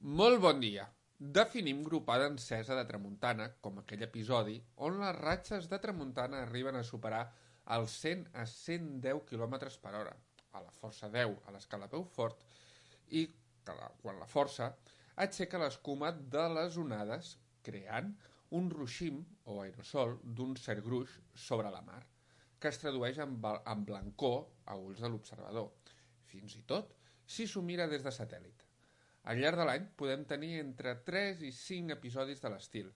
Molt bon dia! Definim gropada encesa de tramuntana com aquell episodi on les ratxes de tramuntana arriben a superar els 100 a 110 km per hora, a la força 10 a l'escala Beaufort, i quan la força aixeca l'escuma de les onades, creant un ruixim o aerosol d'un cert gruix sobre la mar, que es tradueix en blancor a ulls de l'observador, fins i tot si s'ho mira des de satèl·lit. Al llarg de l'any podem tenir entre 3 i 5 episodis de l'estil,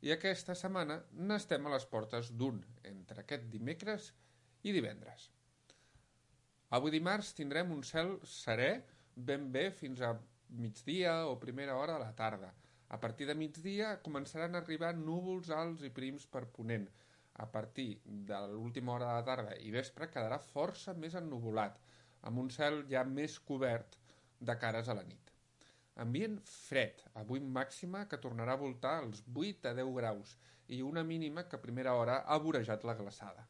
i aquesta setmana n'estem a les portes d'un, entre aquest dimecres i divendres. Avui dimarts tindrem un cel serè ben bé fins a migdia o primera hora de la tarda. A partir de migdia començaran a arribar núvols alts i prims per ponent. A partir de l'última hora de la tarda i vespre quedarà força més ennuvolat, amb un cel ja més cobert de cares a la nit. Ambient fred, avui màxima que tornarà a voltar els 8 a 10 graus i una mínima que a primera hora ha vorejat la glaçada.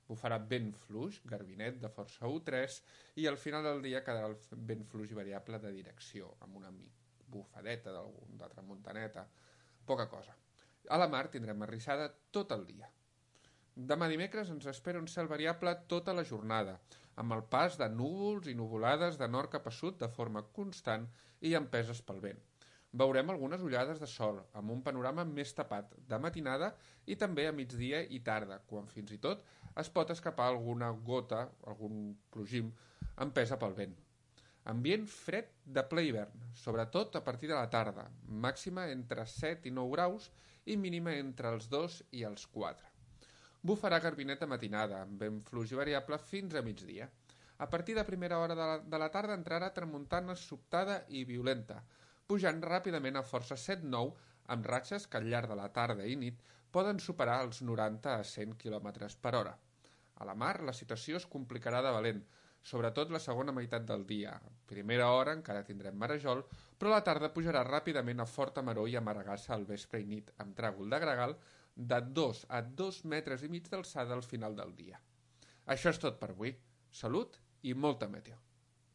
Bufarà vent fluix, garbinet de força 1-3, i al final del dia quedarà el vent fluix variable de direcció, amb una bufadeta de tramuntaneta, poca cosa. A la mar tindrem arrissada tot el dia. Demà dimecres ens espera un cel variable tota la jornada, amb el pas de núvols i nuvolades de nord cap a sud de forma constant i empeses pel vent. Veurem algunes ullades de sol, amb un panorama més tapat, de matinada i també a migdia i tarda, quan fins i tot es pot escapar alguna gota, algun plogim, empesa pel vent. Ambient fred de ple hivern, sobretot a partir de la tarda, màxima entre 7 i 9 graus i mínima entre els 2 i els 4. Bufarà garbinet a matinada, amb vent fluix i variable fins a migdia. A partir de primera hora de la tarda entrarà tramuntana sobtada i violenta, pujant ràpidament a força 7-9 amb ratxes que al llarg de la tarda i nit poden superar els 90 a 100 km per hora. A la mar la situació es complicarà de valent, sobretot la segona meitat del dia. A primera hora encara tindrem marejol, però a la tarda pujarà ràpidament a forta maror i amargassa al vespre i nit, amb tràgol de gregal de 2 a 2 metres i mig d'alçada al final del dia. Això és tot per avui. Salut i molta meteo.